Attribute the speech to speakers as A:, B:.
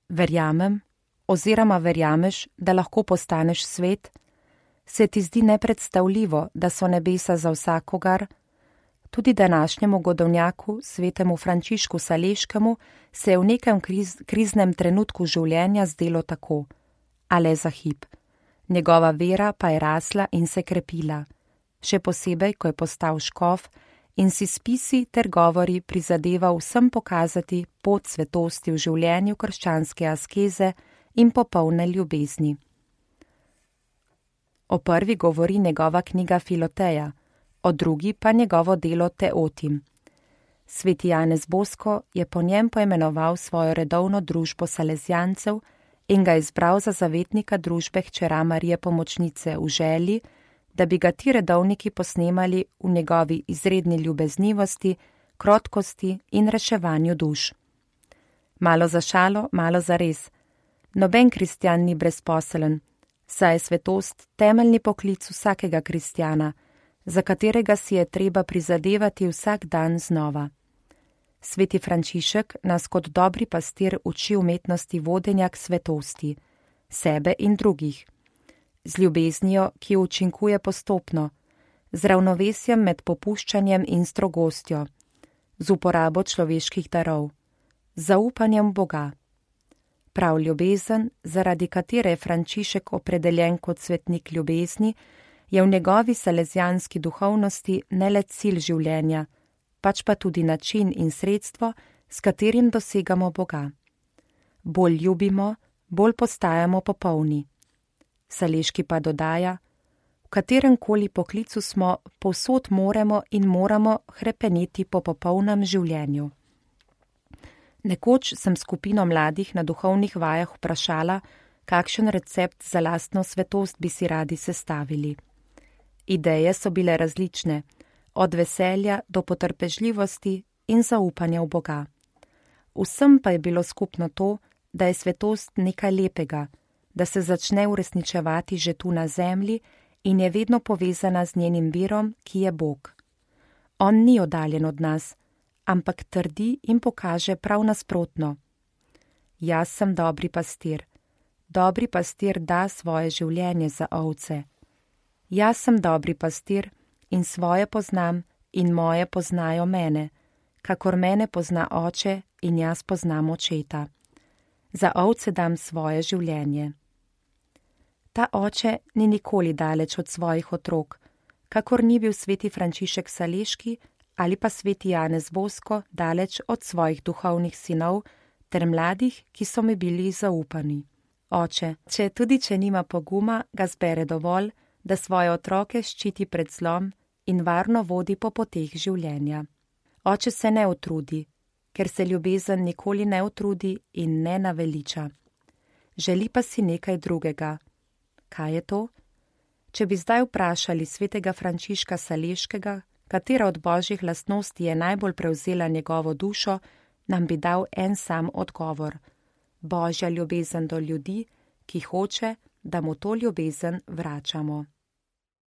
A: Verjamem, oziroma verjameš, da lahko postaneš svet? Se ti zdi nepredstavljivo, da so nebesa za vsakogar? Tudi današnjemu godovnjaku, svetemu Frančišku Saleškemu, se je v nekem kriznem trenutku življenja zdelo tako, a le za hip. Njegova vera pa je rasla in se krepila, še posebej, ko je postal škof in si spisi ter govori prizadeval vsem pokazati pot svetosti v življenju krščanske askeze in popolne ljubezni. O prvi govori njegova knjiga Filoteja, o drugi pa njegovo delo Teotim. Sveti Janez Bosko je po njem poimenoval svojo redovno družbo salezijancev in ga izbral za zavetnika družbe hčera Marije Pomočnice v želji, da bi ga ti redovniki posnemali v njegovi izredni ljubeznivosti, krotkosti in reševanju duš. Malo za šalo, malo za res. Noben kristjan ni brezposelen, saj je svetost temeljni poklic vsakega kristjana, za katerega si je treba prizadevati vsak dan znova. Sveti Frančišek nas kot dobri pastir uči umetnosti vodenja k svetosti, sebe in drugih, z ljubeznijo, ki učinkuje postopno, z ravnovesjem med popuščanjem in strogostjo, z uporabo človeških darov, z zaupanjem Boga. Prav ljubezen, zaradi katere je Frančišek opredeljen kot svetnik ljubezni, je v njegovi salezijanski duhovnosti ne le cilj življenja, pač pa tudi način in sredstvo, s katerim dosegamo Boga. Bolj ljubimo, bolj postajamo popolni. Saleški pa dodaja, v kateremkoli poklicu smo, povsod moramo hrepeneti po popolnem življenju. Nekoč sem skupino mladih na duhovnih vajah vprašala, kakšen recept za lastno svetost bi si radi sestavili. Ideje so bile različne, od veselja do potrpežljivosti in zaupanja v Boga. Vsem pa je bilo skupno to, da je svetost nekaj lepega, da se začne uresničevati že tu na zemlji in je vedno povezana z njenim virom, ki je Bog. On ni oddaljen od nas, ampak trdi in pokaže prav nasprotno. Jaz sem dobri pastir. Dobri pastir da svoje življenje za ovce. Jaz sem dobri pastir in svoje poznam in moje poznajo mene, kakor mene pozna oče in jaz poznam očeta. Za ovce dam svoje življenje. Ta oče ni nikoli daleč od svojih otrok, kakor ni bil sveti Frančišek Saleški ali pa sveti Janez Bosko daleč od svojih duhovnih sinov ter mladih, ki so mi bili zaupani. Oče, tudi če nima poguma, ga zbere dovolj, da svoje otroke ščiti pred zlom in varno vodi po poteh življenja. Oče se ne utrudi, ker se ljubezen nikoli ne utrudi in ne naveliča. Želi pa si nekaj drugega. Kaj je to? Če bi zdaj vprašali svetega Frančiška Saleškega, katera od božjih lastnosti je najbolj prevzela njegovo dušo, nam bi dal en sam odgovor. Božja ljubezen do ljudi, ki hoče, da mu to ljubezen vračamo.